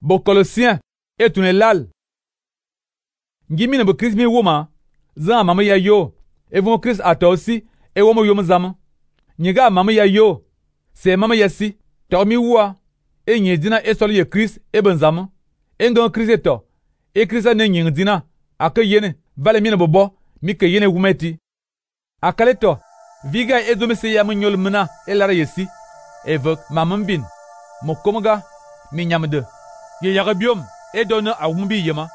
Bo Colossiens et tune lal. Ngi mine bo Christ mi woma, zan mama ya yo, e von Christ ata aussi, e womo yo mzama. Nyiga mama ya yo, se mama ya si, to mi wa, e nyi dina e solo ye Christ e benzama. E ngon Christ eto, e Christ ne nyi dina, ake yene, vale mine bobo, mi ke yene wumeti. Akale to, viga e zo mi se ya mnyol mna, e lara yesi, e vok mamam bin, mo komaga, mi nyamde. Ye yaga biom, e donne a wumbi yema.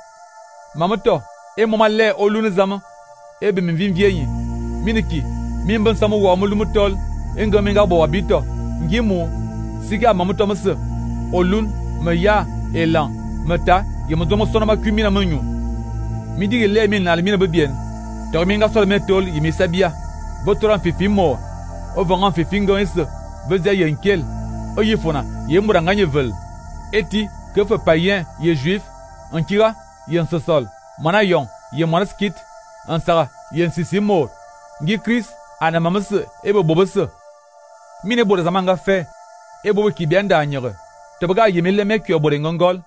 Mamato, e mama le olune zama, e be min vin vieyi. Miniki, min ben samu wa mulumutol, e nga minga bo wabito, ngimu, siga mamato mse, olun, me ya, elan, meta, ye mo domo sona ma kumina menyu. Midi le min na limina bebien, to minga sol metol yimi sabia, botoran fifi mo, o vangan fifi ngonse, vezia yenkel, o yifona, ye muranganye vel. Eti, que fait païen, ye juif, en kira, ye sosol, mana yon, ye monaskit, en sara, ye sisimo, ngi Chris, ana mamase, ebo bobose. Mine bo zamanga fe, ebo ki bienda anyere. Tobaga ye mele mek yo bore ngongol,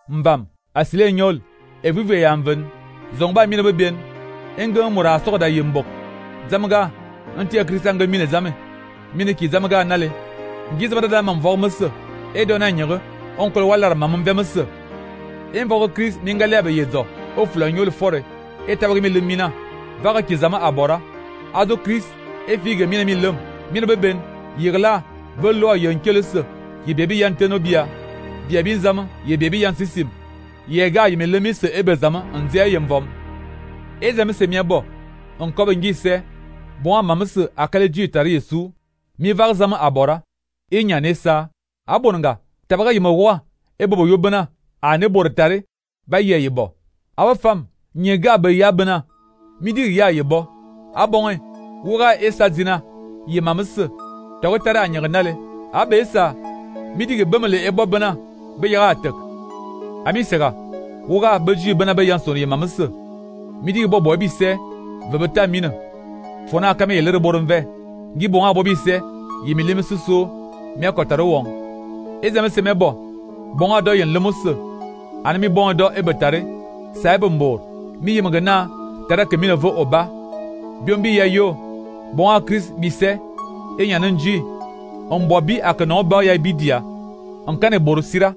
mbam, asile nyol, e vive yanven, zongba mine bebien, engen mura soda ye mbok. Zamaga, anti Christanga mine zame, mine ki zamaga nale, ngi zabada da mam vormese, e dona nyere. Oncle Waller mamam vemese. En vogue Chris mingalebe yezo. O flanyol fore. Et tabri mi lumina. Vaga kizama abora. Ado Chris. E fige mina mi lum. Mina beben. Yirla. Velo yankelese. Ye baby yantenobia. Bia bin zama. Ye baby yansisim. Ye ga yime lemise ebe zama. Nzia yemvom. E zame se miabo. Onkobe ngise. Bon mamese akale tari yesu. Mi var zama abora. E nyanesa. Abonga. Tabaga yima wa, e bobo yobana, a ne bortare, ba ye yebo. Awa fam, nyega be yabana, midi ya yebo. Abonge, wura esa zina, ye mamese, tawetare anyagnale, abe esa, midi ge bemele ebo bana, be yaga atek. Ami sega, wura beji bana be yanson ye mamese, midi ge bobo ebise, vebeta mine. Fona kame ye lere boronve, ngi bonga bobise, ye milime suso, mi akotare wong. Ezame se mebo, bonga do yen lemusse, anami bonga do ebetare, sa ebembor, mi yemagana, tara ke mine vo oba, biombi ya yo, bonga Chris bise, enyanenji, on bobi akanon ba ya bidia, on kane borusira,